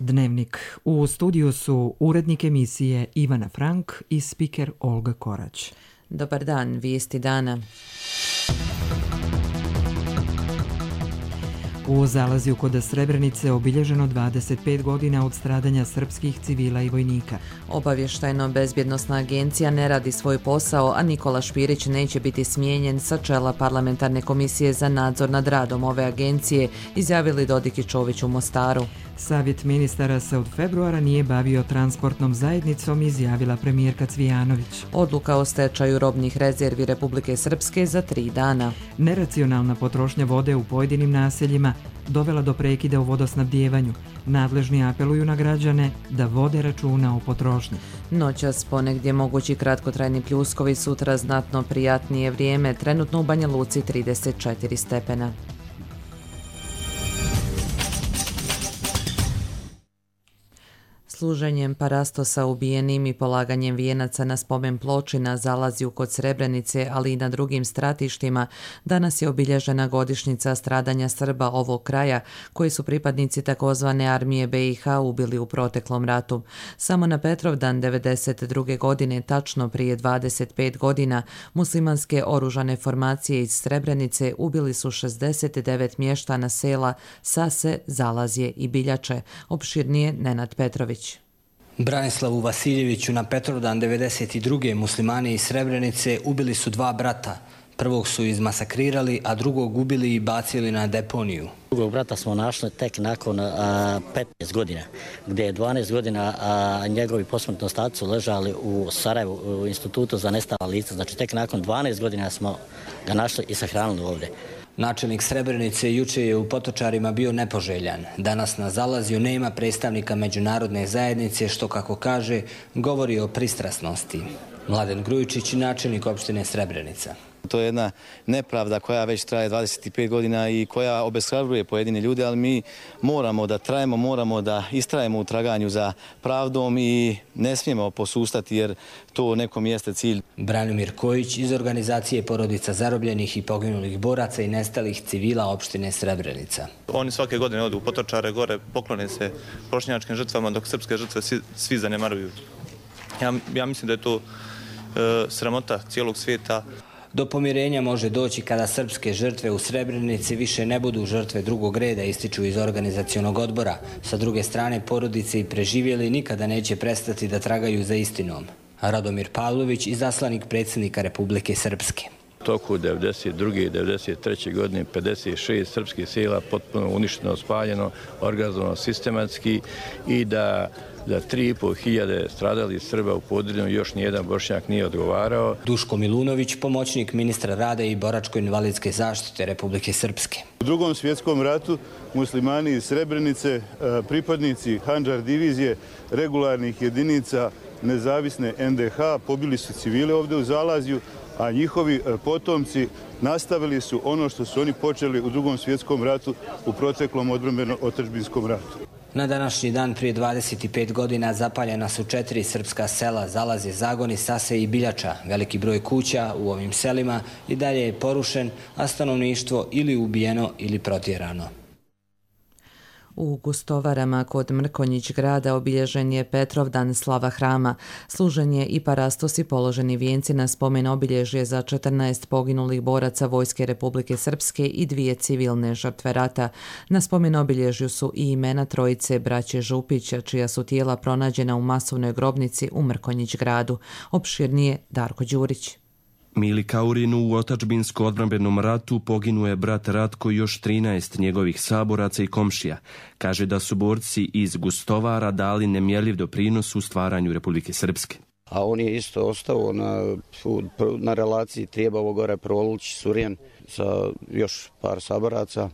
Dnevnik. U studiju su urednik emisije Ivana Frank i spiker Olga Korać. Dobar dan, vijesti dana. U Zalazju kod Srebrenice obilježeno 25 godina od stradanja srpskih civila i vojnika. Obavještajno-bezbjednosna agencija ne radi svoj posao, a Nikola Špirić neće biti smijenjen sa čela parlamentarne komisije za nadzor nad radom ove agencije, izjavili Dodik i Čović u Mostaru. Savjet ministara se od februara nije bavio transportnom zajednicom, izjavila premijerka Cvijanović. Odluka o stečaju robnih rezervi Republike Srpske za 3 dana. Neracionalna potrošnja vode u pojedinim naseljima dovela do prekida u vodosnabdijevanju. Nadležni apeluju na građane da vode računa o potrošnji. Noćas ponegdje mogući kratkotrajni pljuskovi, sutra znatno prijatnije vrijeme, trenutno u Banja Luci 34 stepena. Služenjem parastosa ubijenim i polaganjem vijenaca na spomen ploči na Zalazju kod Srebrenice, ali i na drugim stratištima, danas je obilježena godišnjica stradanja Srba ovog kraja, koji su pripadnici takozvane armije BiH ubili u proteklom ratu. Samo na Petrovdan 1992. godine, tačno prije 25 godina, muslimanske oružane formacije iz Srebrenice ubili su 69 mještana sela Sase, Zalazje i Biljače. Opširnije Nenad Petrović. Branislavu Vasiljeviću na Petrovdan 1992. muslimani iz Srebrenice ubili su 2 brata. Prvog su izmasakrirali, a drugog ubili i bacili na deponiju. Drugog brata smo našli tek nakon 15 godina, gdje je 12 godina njegovi posmrtni ostaci su ležali u Sarajevu, u institutu za nestala lica. Znači tek nakon 12 godina smo ga našli i sahranili ovdje. Načelnik Srebrenice juče je u Potočarima bio nepoželjan. Danas na Zalazju nema predstavnika međunarodne zajednice, što, kako kaže, govori o pristrasnosti. Mladen Grujičić, načelnik opštine Srebrenica. To je jedna nepravda koja već traje 25 godina i koja obeshrabruje pojedine ljude, ali mi moramo da trajemo, moramo da istrajemo u traganju za pravdom i ne smijemo posustati jer to nekom jeste cilj. Branimir Kojić iz organizacije porodica zarobljenih i poginulih boraca i nestalih civila opštine Srebrenica. Oni svake godine odu u Potočare gore, poklone se bošnjačkim žrtvama, dok srpske žrtve svi zanemaruju. Ja mislim da je to sramota cijelog svijeta. Do pomirenja može doći kada srpske žrtve u Srebrenici više ne budu žrtve drugog reda, ističu iz organizacionog odbora. Sa druge strane, porodice i preživjeli nikada neće prestati da tragaju za istinom. Radomir Pavlović, izaslanik predsjednika Republike Srpske. U toku 1992. i 1993. godine 56 srpskih sela potpuno uništeno, spaljeno, organizovano sistematski i da za 3.500 stradali Srba u Podrinju još nijedan Bošnjak nije odgovarao. Duško Milunović, pomoćnik ministra rada i boračko-invalidske zaštite Republike Srpske. U Drugom svjetskom ratu muslimani iz Srebrenice, pripadnici Handžar divizije, regularnih jedinica nezavisne NDH, pobili su civile ovdje u Zalazju, a njihovi potomci nastavili su ono što su oni počeli u Drugom svjetskom ratu u proteklom odbrambeno-otadžbinskom ratu. Na današnji dan prije 25 godina zapaljena su 4 srpska sela Zalazje, Zagoni, Sase i Biljača. Veliki broj kuća u ovim selima i dalje je porušen, a stanovništvo ili ubijeno ili protjerano. U Gustovarama kod Mrkonjić grada obilježen je Petrovdan slava hrama. Služen je i parastos i položeni vijenci na spomen obilježje za 14 poginulih boraca Vojske Republike Srpske i 2 civilne žrtve rata. Na spomen obilježju su i imena trojice braće Župića, čija su tijela pronađena u masovnoj grobnici u Mrkonjić gradu. Opširnije Darko Đurić. Mili Kaurinu u otadžbinsko-odbrambenom ratu poginuo je brat Ratko i još 13 njegovih saboraca i komšija. Kaže da su borci iz Gustovara dali nemjerljiv doprinos u stvaranju Republike Srpske. A on je isto ostao na relaciji Trijebovo gore Proluć, Surjen sa još par saboraca.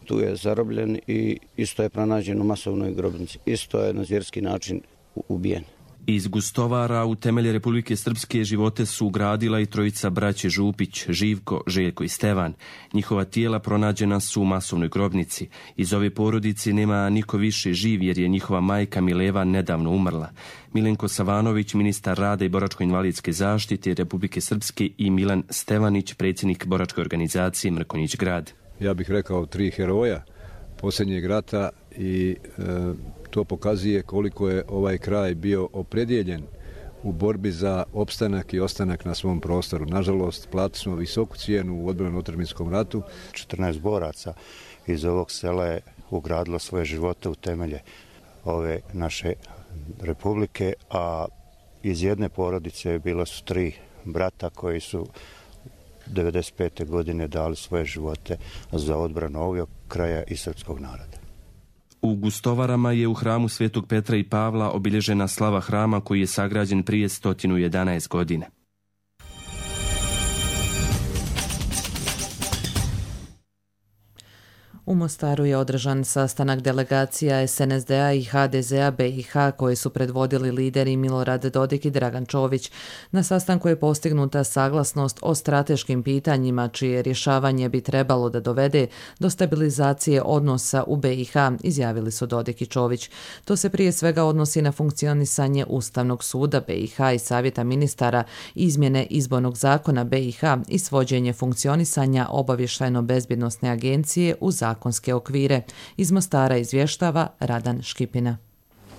Tu je zarobljen i isto je pronađen u masovnoj grobnici. Isto je na zvjerski način ubijen. Iz Gustovara u temelje Republike Srpske živote su ugradila i trojica braće Župić, Živko, Željko i Stevan. Njihova tijela pronađena su u masovnoj grobnici. Iz ove porodice nema niko više živ jer je njihova majka Mileva nedavno umrla. Milenko Savanović, ministar rada i boračko-invalidske zaštite Republike Srpske i Milan Stevanić, predsjednik boračke organizacije Mrkonjić grad. Ja bih rekao 3 heroja posljednjeg rata i to pokazuje koliko je ovaj kraj bio opredjeljen u borbi za opstanak i ostanak na svom prostoru. Nažalost, platili smo visoku cijenu u odbrambeno-otadžbinskom ratu. 14 boraca iz ovog sela je ugradilo svoje živote u temelje ove naše republike, a iz jedne porodice bilo su 3 brata koji su 1995. godine dali svoje živote za odbranu ovog kraja i srpskog naroda. U Gustovarama je u hramu Svetog Petra i Pavla obilježena slava hrama koji je sagrađen prije 111 godina. U Mostaru je održan sastanak delegacija SNSD-a i HDZ-a BiH koje su predvodili lideri Milorad Dodik i Dragan Čović. Na sastanku je postignuta saglasnost o strateškim pitanjima čije rješavanje bi trebalo da dovede do stabilizacije odnosa u BiH, izjavili su Dodik i Čović. To se prije svega odnosi na funkcionisanje Ustavnog suda BiH i Savjeta ministara, izmjene izbornog zakona BiH i svođenje funkcionisanja obavještajno-bezbjednosne agencije u zakonske okvire. Iz Mostara izvještava Radan Škipina.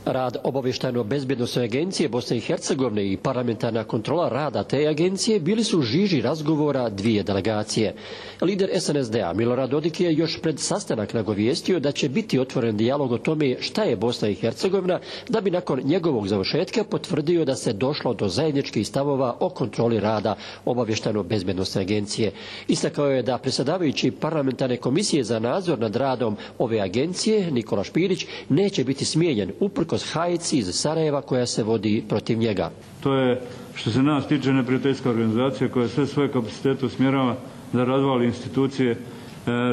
Rad obavještajno-bezbjednosne agencije Bosne i Hercegovine i parlamentarna kontrola rada te agencije bili su u žiži razgovora dvije delegacije. Lider SNSD-a Milorad Dodik je još pred sastanak nagovijestio da će biti otvoren dijalog o tome šta je Bosna i Hercegovina, da bi nakon njegovog završetka potvrdio da se došlo do zajedničkih stavova o kontroli rada obavještajno-bezbjednosne agencije. Istakao je da predsjedavajući parlamentarne komisije za nadzor nad radom ove agencije Nikola Špirić neće biti smijenjen uprkos hajci iz Sarajeva koja se vodi protiv njega. To je, što se nas tiče, neprijateljska organizacija koja sve svoje kapacitete usmjerava da razvali institucije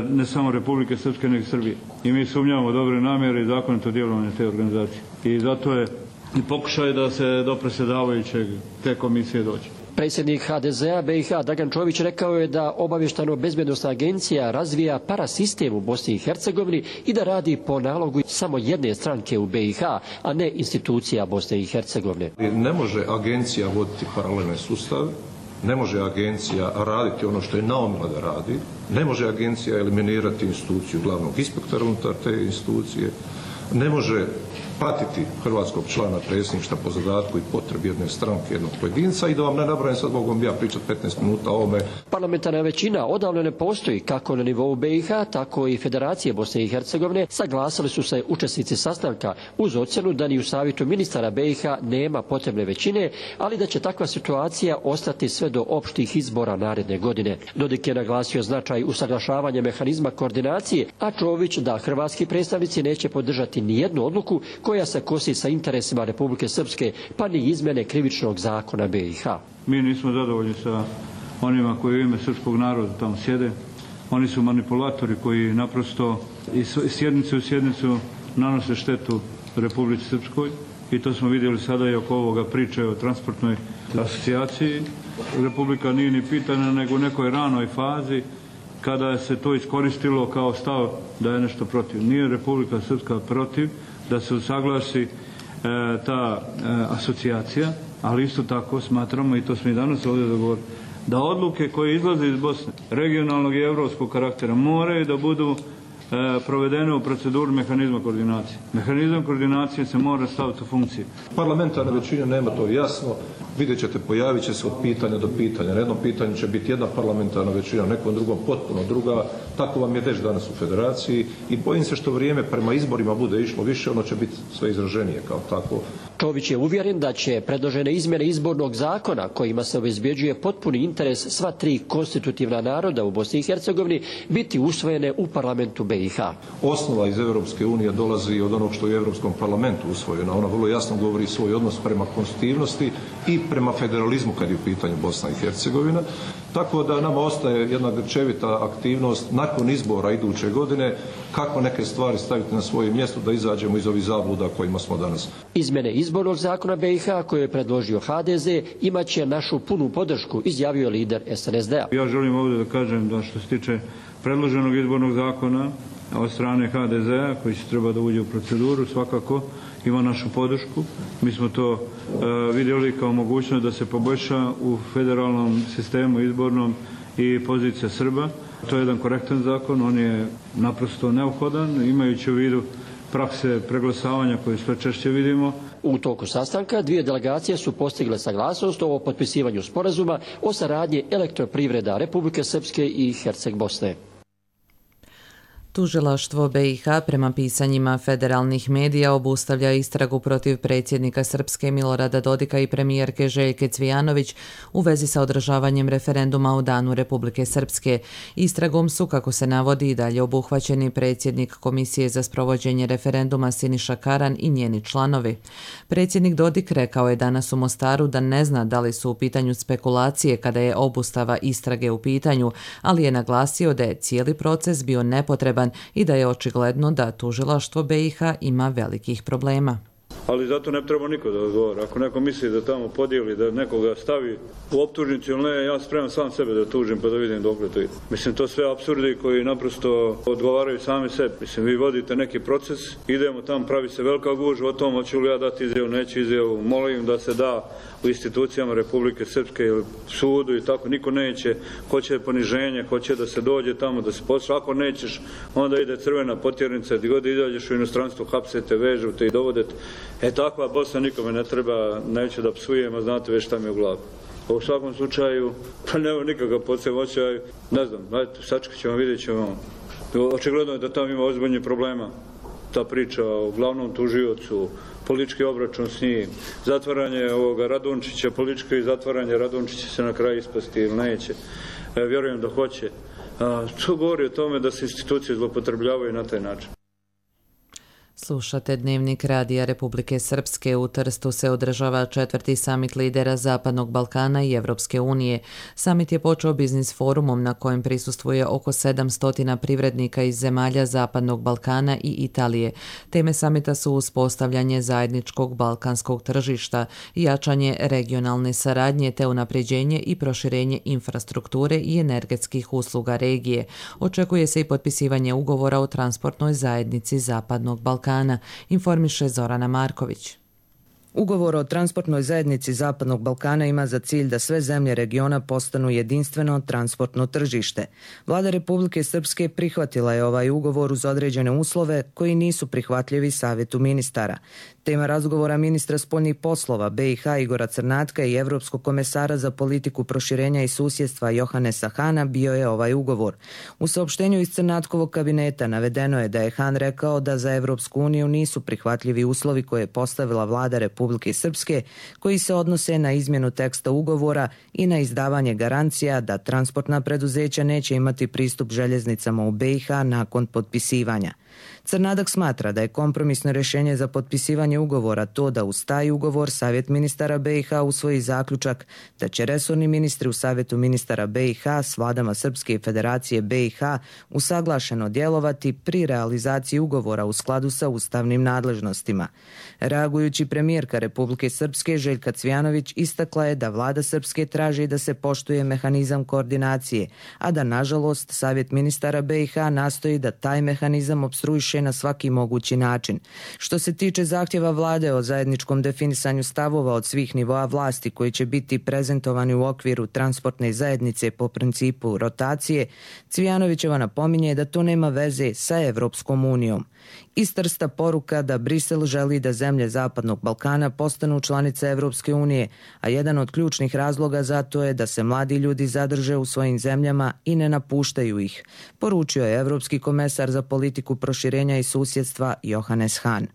ne samo Republike Srpske, nego Srbije. I mi sumnjamo dobre namjere i zakonito djelovanje te organizacije. I zato je i pokušaj da se do predsjedavajućeg te komisije dođe. Predsjednik HDZ-a BiH Dragan Čović rekao je da obavještajno-bezbjednosna agencija razvija parasistem u Bosni i Hercegovini i da radi po nalogu samo jedne stranke u BiH, a ne institucija Bosne i Hercegovine. Ne može agencija voditi paralelne sustave, ne može agencija raditi ono što je naumila da radi, ne može agencija eliminirati instituciju glavnog inspektora unutar te institucije, ne može pratiti hrvatskog člana predsjedništva po zadatku i potrebi jedne stranke, jednog pojedinca i da vam ne nabrajam, sad mogu ja pričati 15 minuta o ovome. Parlamentarna većina odavno ne postoji kako na nivou BiH, tako i Federacije Bosne i Hercegovine. Saglasili su se učesnici sastanka uz ocjenu da ni u Savjetu ministara BiH nema potrebne većine, ali da će takva situacija ostati sve do opštih izbora naredne godine. Dodik je naglasio značaj usaglašavanja mehanizma koordinacije, a Čović da hrvatski predstavnici neće podržati ni jednu odluku koja se kosi sa interesima Republike Srpske, pa ni izmjene krivičnog zakona BiH. Mi nismo zadovoljni sa onima koji u ime srpskog naroda tamo sjede. Oni su manipulatori koji naprosto iz sjednice u sjednicu nanose štetu Republici Srpskoj i to smo vidjeli sada i oko ovoga priče o transportnoj asocijaciji. Republika nije ni pitana nego u nekoj ranoj fazi kada se to iskoristilo kao stav da je nešto protiv. Nije Republika Srpska protiv da se usaglasi ta asocijacija, ali isto tako smatramo, i to smo i danas ovdje dogovorili, da odluke koje izlaze iz Bosne, regionalnog i evropskog karaktera, moraju da budu provedene u proceduru mehanizma koordinacije. Mehanizam koordinacije se mora staviti u funkciju. Parlamentarna većina nema to jasno. Vidjet ćete, pojavit će se od pitanja do pitanja. Na jednom pitanju će biti jedna parlamentarna većina, na nekom drugom potpuno druga. Tako vam je već danas u federaciji i bojim se što vrijeme prema izborima bude išlo više, ono će biti sve izraženije kao tako. Čović je uvjeren da će predložene izmjene izbornog zakona kojima se obezbjeđuje potpuni interes sva 3 konstitutivna naroda u Bosni i Hercegovini biti usvojene u parlamentu BiH. Osnova iz Europske unije dolazi od onog što je u Europskom parlamentu usvojeno. Ona vrlo jasno govori svoj odnos prema konstitutivnosti i prema federalizmu kad je u pitanju Bosna i Hercegovina. Tako da nama ostaje jedna grčevita aktivnost nakon izbora iduće godine kako neke stvari staviti na svoje mjesto da izađemo iz ovih zabluda kojima smo danas. Izmjene izbornog zakona BiH koje je predložio HDZ imat će našu punu podršku, izjavio lider SNSD-a. Ja želim ovdje da kažem da što se tiče predloženog izbornog zakona od strane HDZ-a koji će treba da uđe u proceduru, svakako ima našu podršku. Mi smo to vidjeli kao mogućnost da se poboljša u federalnom sistemu izbornom i pozicija Srba. To je jedan korektan zakon, on je naprosto neophodan, imajući u vidu prakse preglasavanja koje sve češće vidimo. U toku sastanka dvije delegacije su postigle saglasnost o potpisivanju sporazuma o saradnji elektroprivreda Republike Srpske i Herceg Bosne. Tužilaštvo BiH prema pisanjima federalnih medija obustavlja istragu protiv predsjednika Srpske Milorada Dodika i premijerke Željke Cvijanović u vezi sa održavanjem referenduma u Danu Republike Srpske. Istragom su, kako se navodi, i dalje obuhvaćeni predsjednik Komisije za sprovođenje referenduma Siniša Karan i njeni članovi. Predsjednik Dodik rekao je danas u Mostaru da ne zna da li su u pitanju spekulacije kada je obustava istrage u pitanju, ali je naglasio da je cijeli proces bio nepotreban i da je očigledno da tužilaštvo BiH ima velikih problema. Ali zato ne treba niko da odgovara. Ako neko misli da tamo podijeli, da nekoga stavi u optužnicu ili ne, ja spremam sam sebe da tužim pa da vidim dokle to ide. Mislim, to sve apsurdi koji naprosto odgovaraju sami sebi. Mislim, vi vodite neki proces, idemo tamo, pravi se velika gužva o tom, hoću li ja dati izjavu, neću izjavu, molim da se da u institucijama Republike Srpske ili sudu i tako, niko neće, hoće poniženje, hoće da se dođe tamo, da se posla, ako nećeš, onda ide crvena potjernica, gdje god izađeš u inostranstvo, hapsete, vežu te i dovodete. Takva Bosna nikome ne treba, neću da psujem, a znate već šta mi je u glavi. U svakom slučaju, pa nema nikakav podsemoćaj, ne znam, sačekat ćemo, vidjet ćemo. Očigledno je da tamo ima ozbiljnih problema. Ta priča o glavnom tužiocu, politički obračun s njim, zatvaranje ovoga Radončića, političko i zatvaranje Radončića se na kraju ispasti ili neće. Vjerujem da hoće. To govori o tome da se institucije zloupotrebljavaju na taj način. Slušate Dnevnik Radija Republike Srpske. U Trstu se održava 4. samit lidera Zapadnog Balkana i Evropske unije. Samit je počeo biznis forumom na kojem prisustvuje oko 700 privrednika iz zemalja Zapadnog Balkana i Italije. Teme samita su uspostavljanje zajedničkog balkanskog tržišta, jačanje regionalne saradnje te unapređenje i proširenje infrastrukture i energetskih usluga regije. Očekuje se i potpisivanje ugovora o transportnoj zajednici Zapadnog Balkana, informiše Zorana Marković. Ugovor o transportnoj zajednici Zapadnog Balkana ima za cilj da sve zemlje regiona postanu jedinstveno transportno tržište. Vlada Republike Srpske prihvatila je ovaj ugovor uz određene uslove koji nisu prihvatljivi Savjetu ministara. Tema razgovora ministra spoljnih poslova BiH Igora Crnatka i Evropskog komesara za politiku proširenja i susjedstva Johanesa Hana bio je ovaj ugovor. U saopštenju iz Crnatkovog kabineta navedeno je da je Han rekao da za Evropsku uniju nisu prihvatljivi uslovi koje je postavila vlada Republike Srpske, koji se odnose na izmjenu teksta ugovora i na izdavanje garancija da transportna preduzeća neće imati pristup željeznicama u BiH nakon potpisivanja. Crnadak smatra da je kompromisno rješenje za potpisivanje ugovora to da uz taj ugovor Savjet ministara BiH usvoji zaključak da će resorni ministri u Savjetu ministara BiH s vladama Srpske i Federacije BiH usaglašeno djelovati pri realizaciji ugovora u skladu sa ustavnim nadležnostima. Reagujući premijerka Republike Srpske Željka Cvijanović istakla je da vlada Srpske traži da se poštuje mehanizam koordinacije, a da nažalost Savjet ministara BiH nastoji da taj mehanizam opstruiše na svaki mogući način. Što se tiče zahtjeva vlade o zajedničkom definisanju stavova od svih nivoa vlasti koji će biti prezentovani u okviru transportne zajednice po principu rotacije, Cvijanovićeva napominje da to nema veze sa Evropskom unijom. Iz Trsta poruka da Brisel želi da zemlje Zapadnog Balkana postanu članice Evropske unije, a jedan od ključnih razloga za to je da se mladi ljudi zadrže u svojim zemljama i ne napuštaju ih, poručio je Evropski komesar za politiku proširenja i susjedstva Johannes Hahn.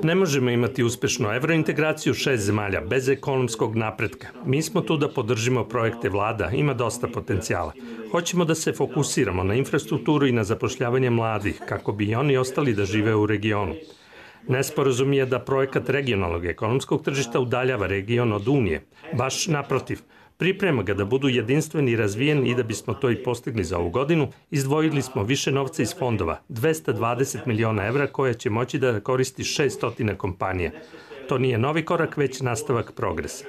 Ne možemo imati uspješnu evrointegraciju 6 zemalja bez ekonomskog napretka. Mi smo tu da podržimo projekte vlada, ima dosta potencijala. Hoćemo da se fokusiramo na infrastrukturu i na zapošljavanje mladih, kako bi i oni ostali da žive u regionu. Nesporazum je da projekat regionalnog ekonomskog tržišta udaljava region od Unije. Baš naprotiv. Priprema ga da budu jedinstveni i razvijeni i da bismo to i postigli za ovu godinu, izdvojili smo više novca iz fondova, 220 miliona evra koje će moći da koristi 600 kompanija. To nije novi korak, već nastavak progresa.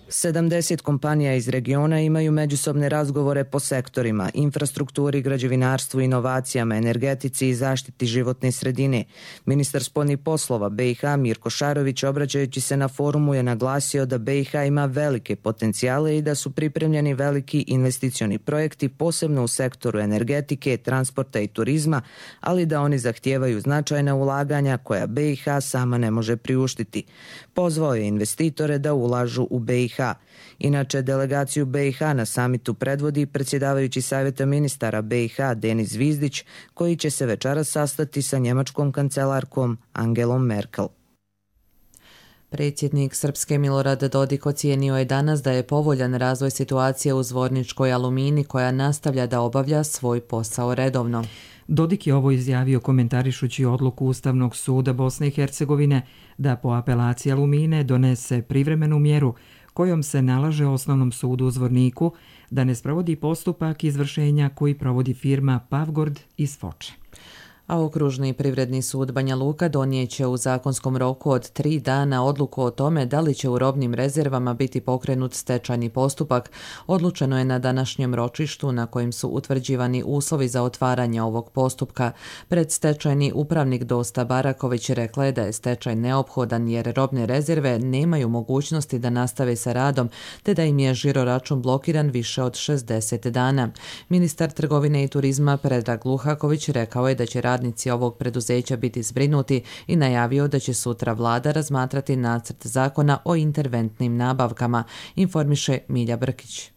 70 kompanija iz regiona imaju međusobne razgovore po sektorima, infrastrukturi, građevinarstvu, inovacijama, energetici i zaštiti životne sredine. Ministar spoljnih poslova BiH Mirko Šarović, obraćajući se na forumu, je naglasio da BiH ima velike potencijale i da su pripremljeni veliki investicioni projekti, posebno u sektoru energetike, transporta i turizma, ali da oni zahtijevaju značajna ulaganja koja BiH sama ne može priuštiti. Pozvao je investitore da ulažu u BiH. Inače, delegaciju BiH na samitu predvodi predsjedavajući Savjeta ministara BiH Denis Zvizdić, koji će se večeras sastati sa njemačkom kancelarkom Angelom Merkel. Predsjednik Srpske Milorad Dodik ocijenio je danas da je povoljan razvoj situacije u Zvorničkoj Alumini, koja nastavlja da obavlja svoj posao redovno. Dodik je ovo izjavio komentarišući odluku Ustavnog suda Bosne i Hercegovine da po apelaciji Alumine donese privremenu mjeru kojom se nalaže Osnovnom sudu u Zvorniku da ne sprovodi postupak izvršenja koji provodi firma Pavgord iz Foče. A Okružni privredni sud Banja Luka donijeće u zakonskom roku od 3 dana odluku o tome da li će u robnim rezervama biti pokrenut stečajni postupak. Odlučeno je na današnjem ročištu na kojem su utvrđivani uslovi za otvaranje ovog postupka. Predstečajni upravnik Dosta Baraković rekla je da je stečaj neophodan jer robne rezerve nemaju mogućnosti da nastave sa radom, te da im je žiroračun blokiran više od 60 dana. Ministar trgovine i turizma Predrag Luhaković rekao je da će radnici ovog preduzeća biti zbrinuti i najavio da će sutra vlada razmatrati nacrt zakona o interventnim nabavkama, informiše Milja Brkić.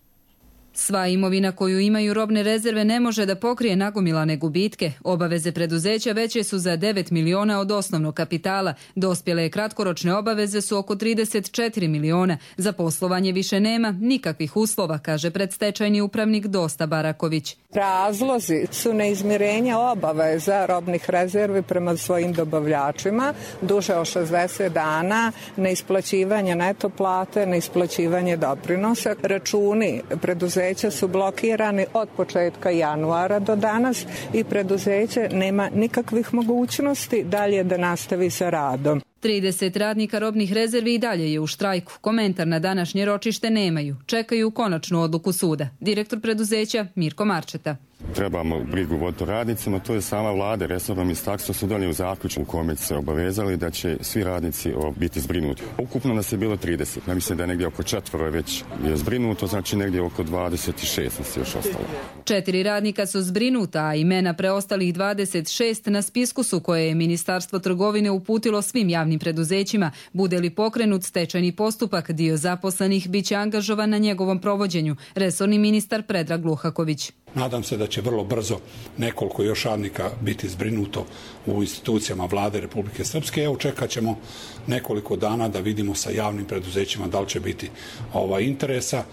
Sva imovina koju imaju robne rezerve ne može da pokrije nagomilane gubitke. Obaveze preduzeća veće su za 9 miliona od osnovnog kapitala. Dospjele kratkoročne obaveze su oko 34 miliona. Za poslovanje više nema nikakvih uslova, kaže predstečajni upravnik Dosta Baraković. Razlozi su neizmirenja obaveza robnih rezervi prema svojim dobavljačima, duže od 60 dana, neisplaćivanje neto plate, neisplaćivanje doprinosa. Računi preduzeća su blokirani od početka januara do danas i preduzeće nema nikakvih mogućnosti dalje da nastavi sa radom. 30 radnika robnih rezervi i dalje je u štrajku. Komentar na današnje ročište nemaju. Čekaju konačnu odluku suda. Direktor preduzeća Mirko Marčeta. Trebamo brigu voditi radnicima, to je sama vlada, resorno ministarstvo su donijeli u zaključku u kome se obavezali da će svi radnici biti zbrinuti. Ukupno nas je bilo 30, ja mislim da je negdje oko 4 već je zbrinuto, znači negdje oko 26 nas je još ostalo. 4 radnika su zbrinuta, a imena preostalih 26 na spisku su koje je Ministarstvo trgovine uputilo svim javnim preduzećima. Bude li pokrenut stečajni postupak, dio zaposlenih bit će angažovan na njegovom provođenju, resorni ministar Predrag Luhaković. Nadam se da će vrlo brzo nekoliko još radnika biti zbrinuto u institucijama vlade Republike Srpske. Evo, čekat ćemo nekoliko dana da vidimo sa javnim preduzećima da li će biti interesa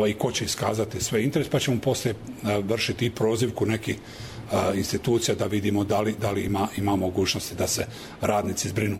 i ko će iskazati sve interes, pa ćemo poslije vršiti i prozivku nekih institucija da vidimo da li ima mogućnosti da se radnici zbrinu.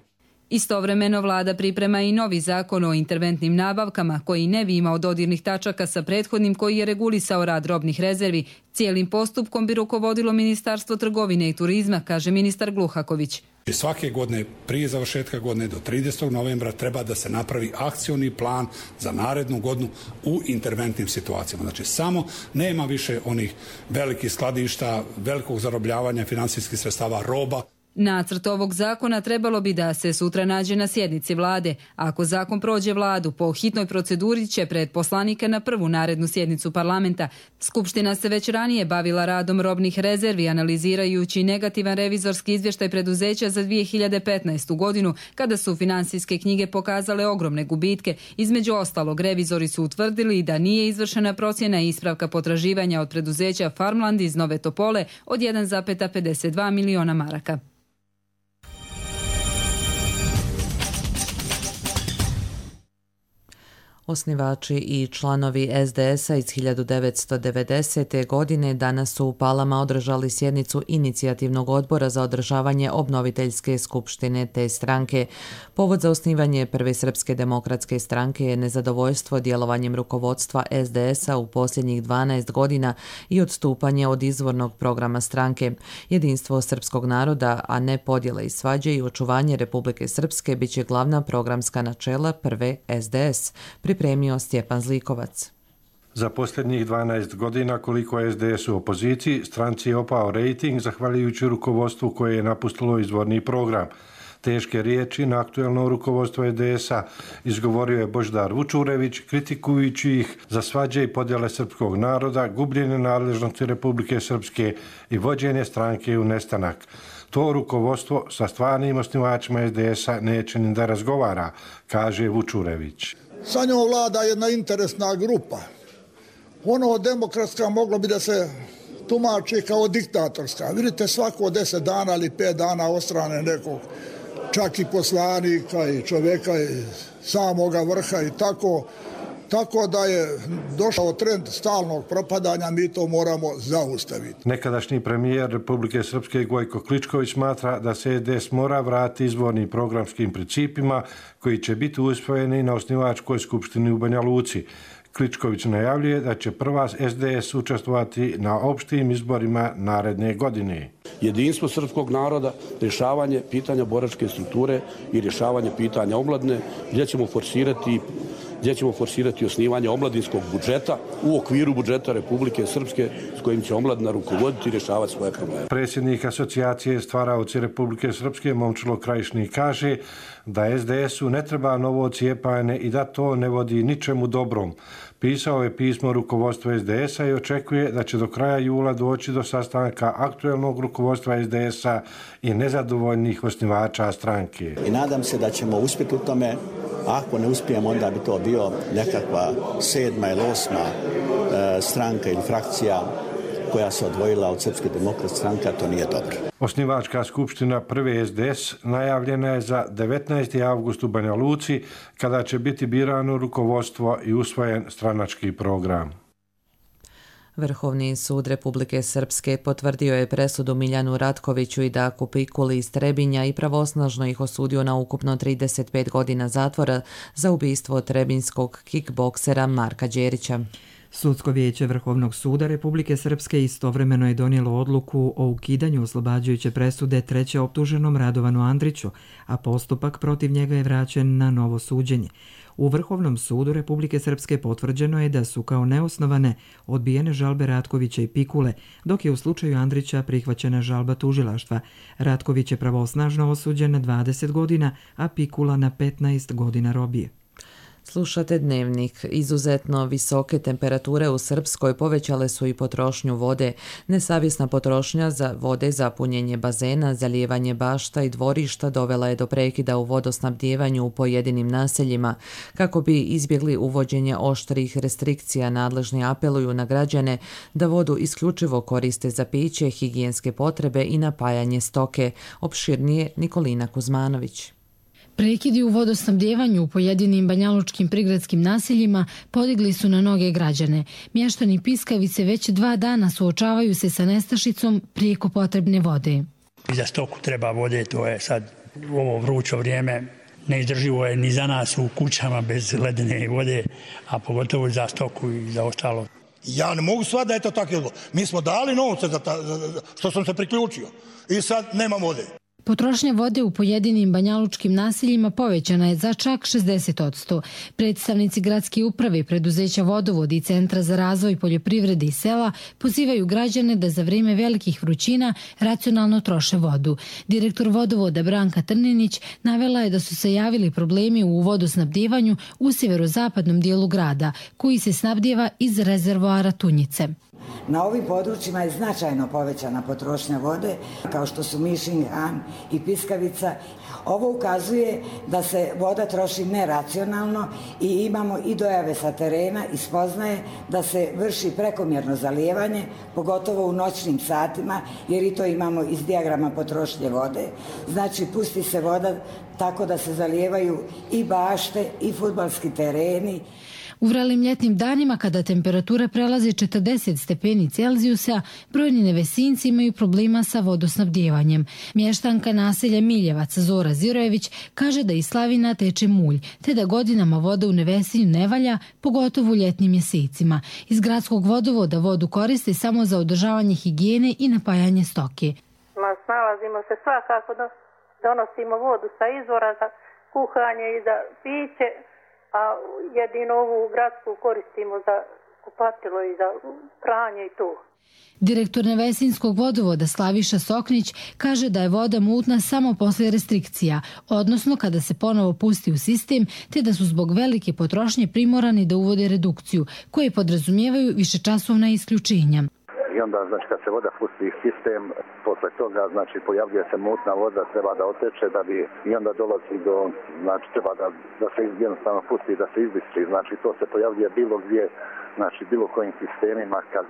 Istovremeno vlada priprema i novi zakon o interventnim nabavkama koji ne bi imao dodirnih tačaka sa prethodnim koji je regulisao rad robnih rezervi. Cijelim postupkom bi rukovodilo Ministarstvo trgovine i turizma, kaže ministar Gluhaković. Svake godine, prije završetka godine do 30. novembra treba da se napravi akcioni plan za narednu godinu u interventnim situacijama. Znači samo nema više onih velikih skladišta, velikog zarobljavanja finansijskih sredstava, roba. Nacrt ovog zakona trebalo bi da se sutra nađe na sjednici vlade. Ako zakon prođe vladu, po hitnoj proceduri će pred poslanike na prvu narednu sjednicu parlamenta. Skupština se već ranije bavila radom robnih rezervi, analizirajući negativan revizorski izvještaj preduzeća za 2015. godinu, kada su finansijske knjige pokazale ogromne gubitke. Između ostalog, revizori su utvrdili da nije izvršena procjena i ispravka potraživanja od preduzeća Farmland iz Nove Topole od 1,52 miliona maraka. Osnivači i članovi SDS-a iz 1990. godine danas su u Palama održali sjednicu inicijativnog odbora za održavanje obnoviteljske skupštine te stranke. Povod za osnivanje Prve srpske demokratske stranke je nezadovoljstvo djelovanjem rukovodstva SDS-a u posljednjih 12 godina i odstupanje od izvornog programa stranke. Jedinstvo srpskog naroda, a ne podjele i svađe i očuvanje Republike Srpske bit će glavna programska načela Prve SDS. pripremio Stjepan Zlikovac. Za posljednjih 12 godina koliko je SDS u opoziciji, stranci je opao rejting zahvaljujući rukovodstvu koje je napustilo izvorni program. Teške riječi na aktuelno rukovodstvo SDS-a izgovorio je Božidar Vučurević, kritikujući ih za svađe i podjele srpskog naroda, gubljenje nadležnosti Republike Srpske i vođenje stranke u nestanak. To rukovodstvo sa stvarnim osnivačima SDS-a neće ni da razgovara, kaže Vučurević. Sa njom vlada jedna interesna grupa. Ono demokratska moglo bi da se tumači kao diktatorska. Vidite, svako 10 dana ili 5 dana ostrane nekog, čak i poslanika i čovjeka iz samoga vrha i tako. Tako da je došao trend stalnog propadanja, mi to moramo zaustaviti. Nekadašnji premijer Republike Srpske Gojko Kličković smatra da se SDS mora vratiti izvornim programskim principima koji će biti usvojeni na osnivačkoj skupštini u Banja Luci. Kličković najavljuje da će prva SDS učestvovati na opštim izborima naredne godine. Jedinstvo srpskog naroda, rješavanje pitanja boračke strukture i rješavanje pitanja omladine, gdje ćemo forsirati osnivanje omladinskog budžeta u okviru budžeta Republike Srpske s kojim će omladina rukovoditi i rješavati svoje probleme. Predsjednik asocijacije stvaraoci Republike Srpske Momčilo Krajišnik kaže da SDS-u ne treba novo cijepanje i da to ne vodi ničemu dobrom. Pisao je pismo rukovodstva SDS-a i očekuje da će do kraja jula doći do sastanka aktuelnog rukovodstva SDS-a i nezadovoljnih osnivača stranke. I nadam se da ćemo uspjeti u tome. Ako ne uspijemo, onda bi to bio nekakva 7. ili 8. stranka ili frakcija koja se odvojila od Srpske demokratske stranke, a to nije dobro. Osnivačka skupština prve SDS najavljena je za 19. avgust u Banja Luci, kada će biti birano rukovodstvo i usvojen stranački program. Vrhovni sud Republike Srpske potvrdio je presudu Miljanu Ratkoviću i Daku Pikuli iz Trebinja i pravosnažno ih osudio na ukupno 35 godina zatvora za ubistvo trebinskog kickboksera Marka Đerića. Sudsko vijeće Vrhovnog suda Republike Srpske istovremeno je donijelo odluku o ukidanju oslobađajuće presude treće optuženom Radovanu Andriću, a postupak protiv njega je vraćen na novo suđenje. U Vrhovnom sudu Republike Srpske potvrđeno je da su kao neosnovane odbijene žalbe Ratkovića i Pikule, dok je u slučaju Andrića prihvaćena žalba tužilaštva. Ratković je pravosnažno osuđen na 20 godina, a Pikula na 15 godina robije. Slušate Dnevnik. Izuzetno visoke temperature u Srpskoj povećale su i potrošnju vode. Nesavjesna potrošnja za vode za punjenje bazena, zalijevanje bašta i dvorišta dovela je do prekida u vodosnabdijevanju u pojedinim naseljima. Kako bi izbjegli uvođenje oštrih restrikcija, nadležni apeluju na građane da vodu isključivo koriste za piće, higijenske potrebe i napajanje stoke. Opširnije Nikolina Kuzmanović. Prekidi u vodosnabdjevanju u pojedinim banjalučkim prigradskim naseljima podigli su na noge građane. Mještani Piskavice već 2 dana suočavaju se sa nestašicom prijeko potrebne vode. Za stoku treba vode, to je sad u ovo vrućo vrijeme neizdrživo je ni za nas u kućama bez ledene vode, a pogotovo za stoku i za ostalo. Ja ne mogu shvatiti da je to tako. Mi smo dali novce za što sam se priključio i sad nema vode. Potrošnja vode u pojedinim banjalučkim naseljima povećana je za čak 60%. Predstavnici gradske uprave, preduzeća Vodovod i Centra za razvoj poljoprivrede i sela pozivaju građane da za vrijeme velikih vrućina racionalno troše vodu. Direktor Vodovoda Branka Trninić navela je da su se javili problemi u vodosnabdjevanju u sjeverozapadnom dijelu grada, koji se snabdjeva iz rezervoara Tunjice. Na ovim područjima je značajno povećana potrošnja vode, kao što su Mišin, Han i Piskavica. Ovo ukazuje da se voda troši neracionalno i imamo i dojave sa terena i spoznaje da se vrši prekomjerno zalijevanje, pogotovo u noćnim satima, jer i to imamo iz dijagrama potrošnje vode. Znači, pusti se voda tako da se zalijevaju i bašte i fudbalski tereni. U vrelim ljetnim danima, kada temperatura prelazi 40 stepeni Celzijusa, brojni nevesinci imaju problema sa vodosnabdjevanjem. Mještanka naselja Miljevac Zora Zirojević kaže da iz slavina teče mulj, te da godinama voda u Nevesinju ne valja, pogotovo u ljetnim mjesecima. Iz gradskog vodovoda vodu koriste samo za održavanje higijene i napajanje stoke. Snalazimo se svakako, donosimo vodu sa izvora za kuhanje i za piće. a jedino ovu gradsku koristimo za kupatilo i za pranje i to. Direktor Nevesinskog vodovoda Slaviša Soknić kaže da je voda mutna samo posle restrikcija, odnosno kada se ponovo pusti u sistem, te da su zbog velike potrošnje primorani da uvode redukciju, koje podrazumijevaju višečasovna isključenja. I onda, znači, kad se voda pusti u sistem, posle toga, znači, pojavljuje se mutna voda, treba da oteče, da bi, i onda dolazi do, znači, treba da se jednostavno pusti, da se izbistri. Znači, to se pojavljuje bilo gdje, znači, bilo kojim sistemima kad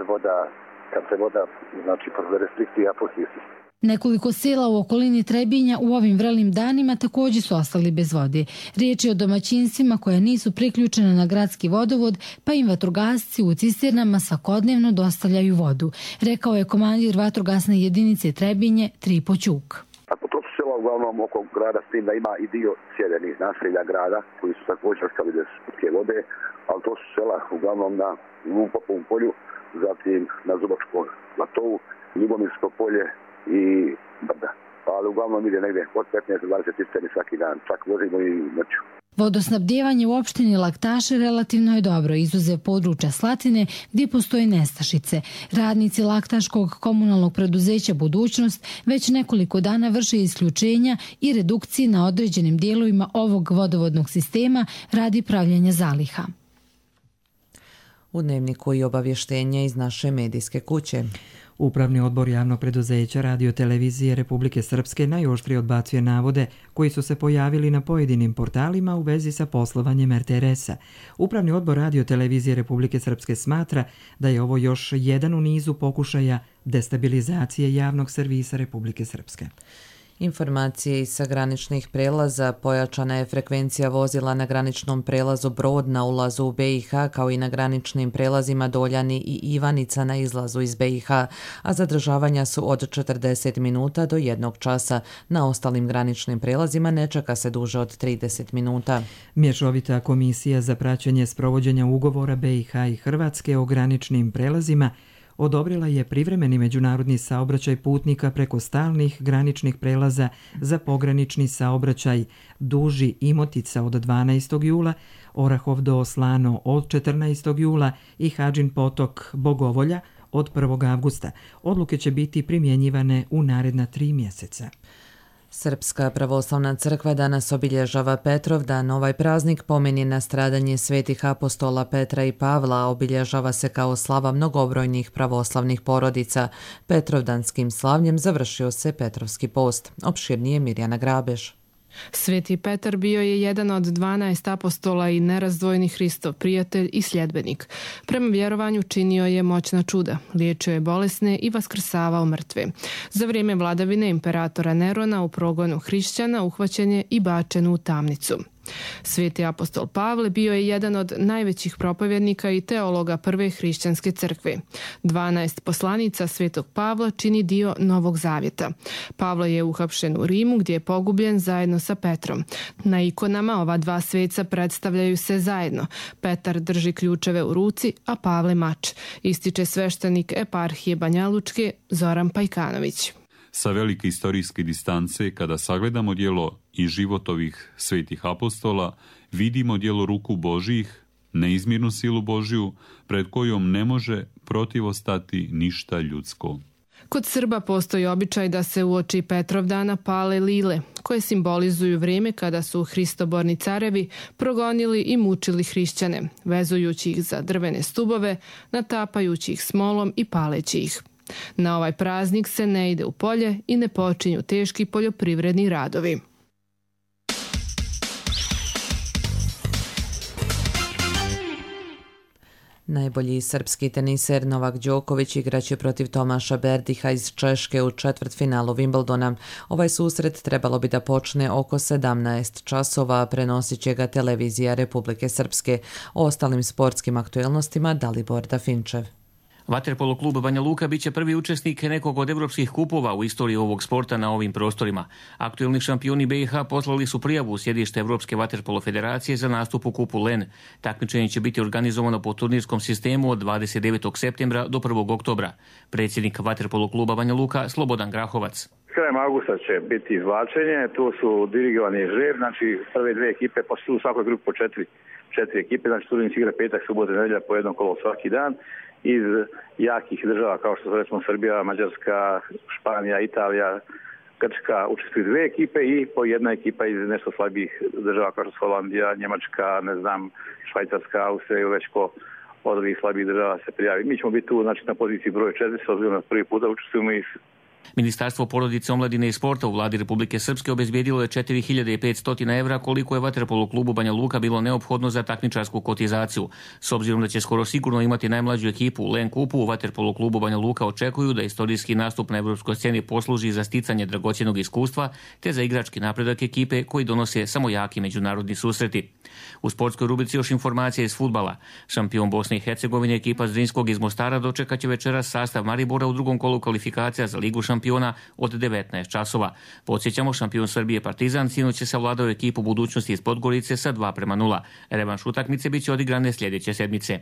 se voda, znači, posle restrikcija pusti u sistem. Nekoliko sela u okolini Trebinja u ovim vrelim danima također su ostali bez vode. Riječ je o domaćinstvima koja nisu priključena na gradski vodovod, pa im vatrogasci u cisternama svakodnevno dostavljaju vodu, rekao je komandir vatrogasne jedinice Trebinje Tripo Ćuk. To su sela uglavnom oko grada, s tim da ima i dio sjevernih naselja grada koji su također ostali bez pitke vode, ali to su sela uglavnom na Lupovom polju, zatim na Zubačkom platovu, Ljubomirsko polje i Brda. Ali uglavnom ide negdje od 15 do 20 cisterni svaki dan, čak vozimo i noću. Vodosnabdijevanje u opštini Laktaše relativno je dobro, izuzev područja Slatine gdje postoje nestašice. Radnici Laktaškog komunalnog preduzeća Budućnost već nekoliko dana vrše isključenja i redukcije na određenim dijelovima ovog vodovodnog sistema radi pravljenja zaliha. U dnevniku i obavještenja iz naše medijske kuće. Upravni odbor javnog preduzeća Radio-televizije Republike Srpske najoštrije odbacuje navode koji su se pojavili na pojedinim portalima u vezi sa poslovanjem RTRS-a. Upravni odbor Radio-televizije Republike Srpske smatra da je ovo još jedan u nizu pokušaja destabilizacije javnog servisa Republike Srpske. Informacije iz graničnih prelaza: pojačana je frekvencija vozila na graničnom prelazu Brod na ulazu u BiH, kao i na graničnim prelazima Doljani i Ivanica na izlazu iz BiH, a zadržavanja su od 40 minuta do 1 časa. Na ostalim graničnim prelazima ne čeka se duže od 30 minuta. Mješovita komisija za praćenje sprovođenja ugovora BiH i Hrvatske o graničnim prelazima odobrila je privremeni međunarodni saobraćaj putnika preko stalnih graničnih prelaza za pogranični saobraćaj Duži Imotica od 12. jula, Orahov do Slano od 14. jula i Hadžin potok Bogovolja od 1. avgusta. Odluke će biti primjenjivane u naredna 3 mjeseca. Srpska pravoslavna crkva danas obilježava Petrovdan. Ovaj praznik pomeni na stradanje svetih apostola Petra i Pavla, obilježava se kao slava mnogobrojnih pravoslavnih porodica. Petrovdanskim slavljem završio se Petrovski post. Opširnije Mirjana Grabeš. Sveti Petar bio je jedan od 12 apostola i nerazdvojni Hristov prijatelj i sljedbenik. Prema vjerovanju činio je moćna čuda, liječio je bolesne i vaskrsavao mrtve. Za vrijeme vladavine imperatora Nerona u progonu hrišćana uhvaćen je i bačen u tamnicu. Sveti apostol Pavle bio je jedan od najvećih propovjednika i teologa prve hrišćanske crkve. 12 poslanica svetog Pavla čini dio Novog Zavjeta. Pavle je uhapšen u Rimu gdje je pogubljen zajedno sa Petrom. Na ikonama ova dva sveca predstavljaju se zajedno. Petar drži ključeve u ruci, a Pavle mač, ističe sveštenik eparhije Banjalučke Zoran Pajkanović. Sa velike istorijske distance, kada sagledamo djelo i život ovih svetih apostola, vidimo djelo ruku Božjih, neizmjernu silu Božju, pred kojom ne može protivostati ništa ljudsko. Kod Srba postoji običaj da se uoči Petrovdana pale lile, koje simbolizuju vrijeme kada su hristoborni carevi progonili i mučili hrišćane, vezujući ih za drvene stubove, natapajući ih smolom i paleći ih. Na ovaj praznik se ne ide u polje i ne počinju teški poljoprivredni radovi. Najbolji srpski teniser Novak Đoković igraće protiv Tomaša Berdiha iz Češke u četvrtfinalu Wimbledona. Ovaj susret trebalo bi da počne oko 17 časova, prenosit će ga televizija Republike Srpske. O ostalim sportskim aktuelnostima Dalibor Dafinčev. Vaterpolo klub Banja Luka biće prvi učesnik nekog od evropskih kupova u istoriji ovog sporta na ovim prostorima. Aktuelni šampioni BiH poslali su prijavu u sjedište Evropske vaterpolo federacije za nastup u kupu LEN. Takmičenje će biti organizovano po turnirskom sistemu od 29. septembra do 1. oktobra. Predsjednik Vaterpolo kluba Banja Luka Slobodan Grahovac. Krajem augusta će biti izvlačenje, tu su dirigovani žreb, znači prve dve ekipe, pa su u svakoj grupi po četiri ekipe, znači turnir se igra petak, subota, nedjelja po jedno kolo svaki dan. Iz jakih država kao što su recimo Srbija, Mađarska, Španija, Italija, Grčka učestvuju dve ekipe i po jedna ekipa iz nešto slabijih država kao što su Holandija, Njemačka, Švajcarska, Austrija ili već ko od ovih slabijih država se prijavi. Mi ćemo biti tu znači, na poziciji broj 4, s obzirom na prvi puta učestvujemo i Ministarstvo porodice, omladine i sporta u vladi Republike Srpske obezbijedilo je 4.500 evra koliko je Vaterpolo klubu Banja Luka bilo neophodno za takmičarsku kotizaciju. S obzirom da će skoro sigurno imati najmlađu ekipu u LEN kupu, u Vaterpolo klubu Banja Luka očekuju da istorijski nastup na evropskoj sceni posluži za sticanje dragocjenog iskustva te za igrački napredak ekipe koji donose samo jaki međunarodni susreti. U sportskoj rubrici još informacija iz fudbala. Šampion Bosne i Hercegovine ekipa Zrinskog iz Mostara dočekat će večeras sastav Maribora u drugom kolu kvalifikacija za Ligu šampiona od 19 časova. Podsjećamo, šampion Srbije Partizan sinoć će savladao ekipu Budućnosti iz Podgorice sa 2:0. Revanš utakmice biće odigrane sljedeće sedmice.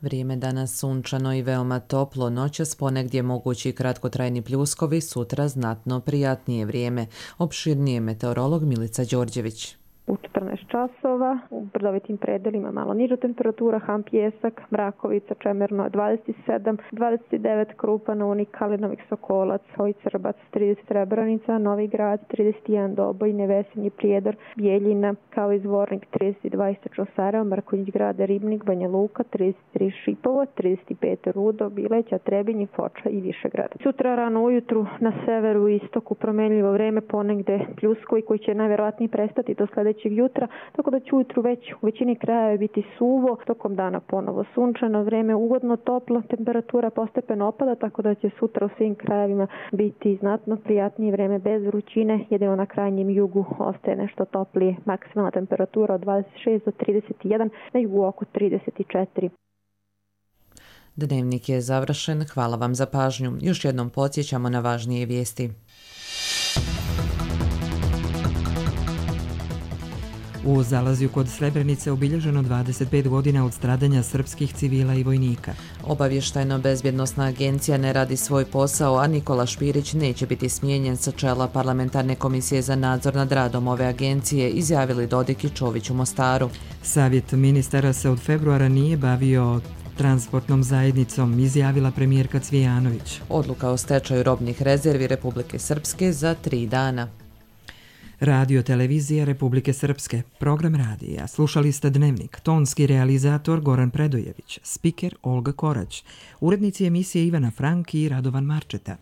Vrijeme danas sunčano i veoma toplo, noćas ponegdje mogući kratkotrajni pljuskovi, sutra znatno prijatnije vrijeme. Opširnije meteorolog Milica Đorđević. U 14 časova u brdovitim predelima malo niža temperatura, Han Pijesak, Mrakovica, Čemerno 27, 29 Krupa, Unik, Kalinovik, Sokolac, Hojcerbac 30, Srebrenica, Novi Grad 31, Doboj, Nevesinji, Prijedor, Bijeljina, kao i Zvornik 32, Istočno Sarajevo, Marković Grada, Ribnik, Banja Luka 33, Šipovo 35, Rudo, Bileća, Trebinje, Foča i Višegrad. Sutra rano ujutru na severu i istoku promenljivo vreme, ponegde pljuskovi koji će najverovatnije prestati do sledećeg jutra, tako da će ujutru već u većini krajeva biti suvo, tokom dana ponovo sunčano, vreme ugodno toplo, temperatura postepeno opada, tako da će sutra u svim krajevima biti znatno prijatnije vreme bez vrućine, jedino na krajnjem jugu ostaje nešto toplije, maksimalna temperatura od 26 do 31, na jugu oko 34. Dnevnik je završen, hvala vam za pažnju. Još jednom podsjećamo na važnije vijesti. U Zalazju kod Srebrenice obilježeno 25 godina od stradanja srpskih civila i vojnika. Obavještajno-bezbjednosna agencija ne radi svoj posao, a Nikola Špirić neće biti smijenjen sa čela Parlamentarne komisije za nadzor nad radom ove agencije, izjavili Dodik i Čović u Mostaru. Savjet ministara se od februara nije bavio transportnom zajednicom, izjavila premijerka Cvijanović. Odluka o stečaju robnih rezervi Republike Srpske za 3 dana. Radio televizija Republike Srpske, program radija. Slušali ste Dnevnik, tonski realizator Goran Predojević, spiker Olga Korać, urednici emisije Ivana Frank i Radovan Marčeta.